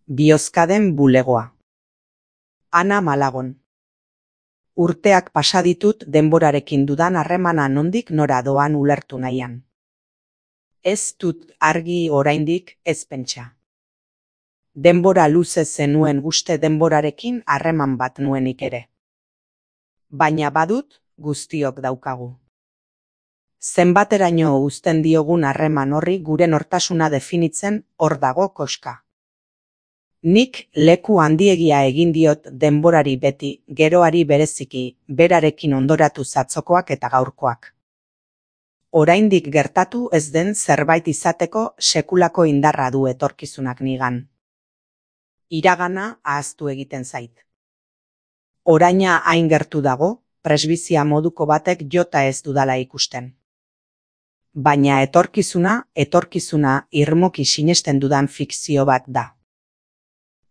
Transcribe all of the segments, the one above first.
Biozkaden bulegoa. Ana Malagon. Urteak pasa ditut denborarekin dudan harremana nondik nora doan ulertu nahian. Ez dut argi oraindik ez pentsa. Denbora luze zenuen uste denborarekin harreman bat nuenik ere. Baina badut guztiok daukagu. Zenbateraino uzten diogun harreman horri gure nortasuna definitzen hor dago koska. Nik leku handiegia egin diot denborari beti, geroari bereziki, berarekin ondoratu zatzokoak eta gaurkoak. Oraindik gertatu ez den zerbait izateko sekulako indarra du etorkizunak nigan. Iragana ahaztu egiten zait. Oraina hain gertu dago, presbizia moduko batek jota ez dudala ikusten. Baina etorkizuna irmoki sinesten dudan fikzio bat da.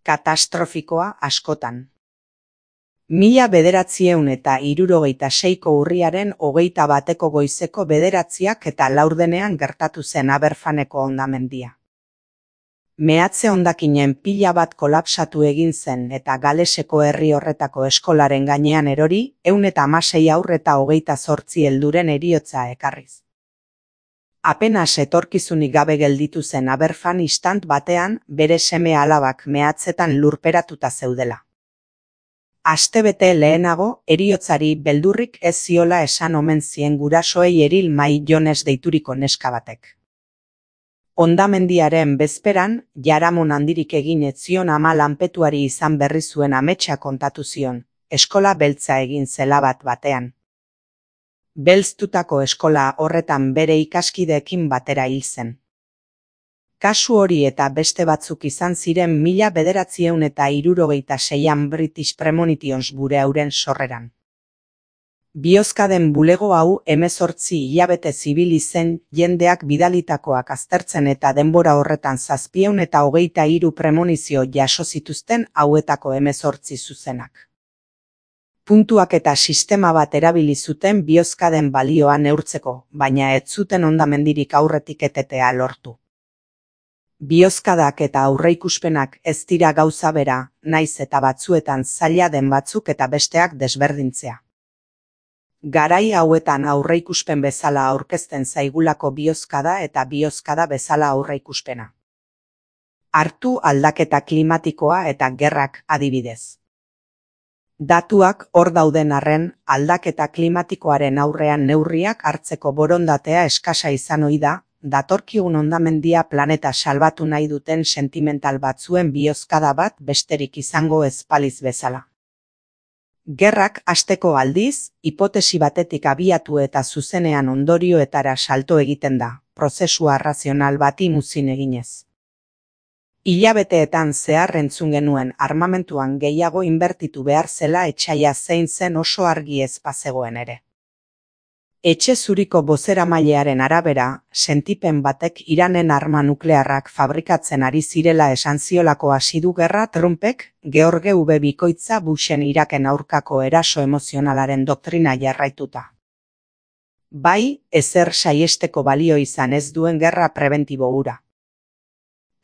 Katastrofikoa askotan. 1976ko urriaren 21 goizeko 9 eta laurdenean gertatu zen Aberfaneko hondamendia. Mehatze hondakinen pila bat kolapsatu egin zen eta Galeseko herri horretako eskolaren gainean erori 116 haur eta 28 helduren heriotza ekarriz. Apenas etorkizunik gabe gelditu zen Aberfan istant batean bere seme alabak mehatzetan lurperatuta zeudela. Astebete lehenago heriotzari beldurrik ez ziola esan omen zien gurasoei Eril Mai Jones deituriko neska batek. Hondamendiaren bezperan, jaramon handirik egin ez zion ama lanpetuari izan berri zuen ametsa kontatu zion, eskola beltza egin zela batean. Belztutako eskola horretan bere ikaskideekin batera hil zen. Kasu hori eta beste batzuk izan ziren 1976an British Premonitions bure hauren sorreran. Biozkaden bulego hau 18 hilabete zibili zen jendeak bidalitakoak aztertzen eta denbora horretan 723 premonizio jaso zituzten hauetako 18 zuzenak. Puntuak eta sistema bat erabili zuten biozkaden balioa neurtzeko, baina ez zuten hondamendirik aurretik etetea lortu. Biozkadak eta aurreikuspenak ez dira gauza bera, naiz eta batzuetan zaila den batzuk eta besteak desberdintzea. Garai hauetan aurreikuspen bezala aurkezten zaigulako biozkada eta biozkada bezala aurreikuspena. Hartu aldaketa klimatikoa eta gerrak adibidez. Datuak hor dauden arren, aldaketa klimatikoaren aurrean neurriak hartzeko borondatea eskasa izan ohi da, datorkigun hondamendia planeta salbatu nahi duten sentimental batzuen biozkada bat besterik izango ez baliz bezala. Gerrak hasteko aldiz, hipotesi batetik abiatu eta zuzenean ondorioetara salto egiten da, prozesua razional bati muzin eginez. Hilabeteetan zehar entzun genuen armamentuan gehiago inbertitu behar zela etsaia zein zen oso argi ez bazegoen ere. Etxe zuriko bozeramailearen arabera, sentipen batek Iranen arma nuklearrak fabrikatzen ari zirela esan ziolako hasi du gerra Trumpek, George W. Bikoitza Bushen Iraken aurkako eraso emozionalaren doktrina jarraituta. Bai, ezer saiesteko balio izan ez duen gerra prebentibo hura.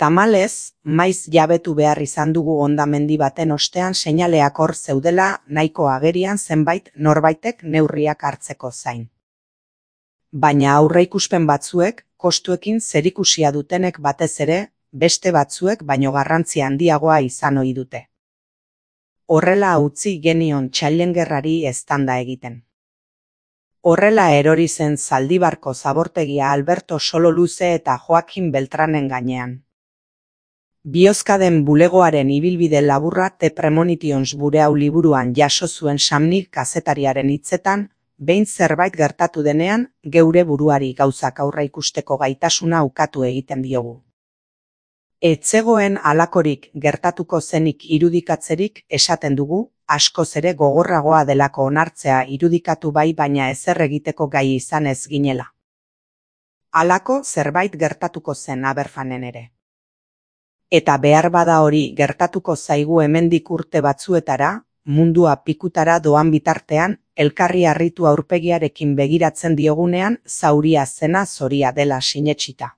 Tamalez, maiz jabetu behar izan dugu hondamendi baten ostean seinaleak hor zeudela nahiko agerian zenbait norbaitek neurriak hartzeko zain. Baina aurreikuspen batzuek, kostuekin zerikusia dutenek batez ere, beste batzuek baino garrantzia handiagoa izan ohi dute. Horrela utzi genion Challengerrari eztanda egiten. Horrela erori zen Zaldibarko zabortegia Alberto Sololuze eta Joaquin Beltranen gainean. Biozkaden bulegoaren ibilbide laburra The Premonitions bure hau liburuan jaso zuen Samnik kazetariaren hitzetan, behin zerbait gertatu denean, geure buruari gauzak aurre ikusteko gaitasuna ukatu egiten diogu. Ez zegoen halakorik gertatuko zenik irudikatzerik esaten dugu, askoz ere gogorragoa delako onartzea irudikatu bai baina ezer egiteko gai izan ez ginela. Halako zerbait gertatuko zen Aberfanen ere. Eta behar bada hori gertatuko zaigu hemendik urte batzuetara, mundua pikutara doan bitartean, elkarri harritu aurpegiarekin begiratzen diogunean, zauria zena zoria dela sinetsita.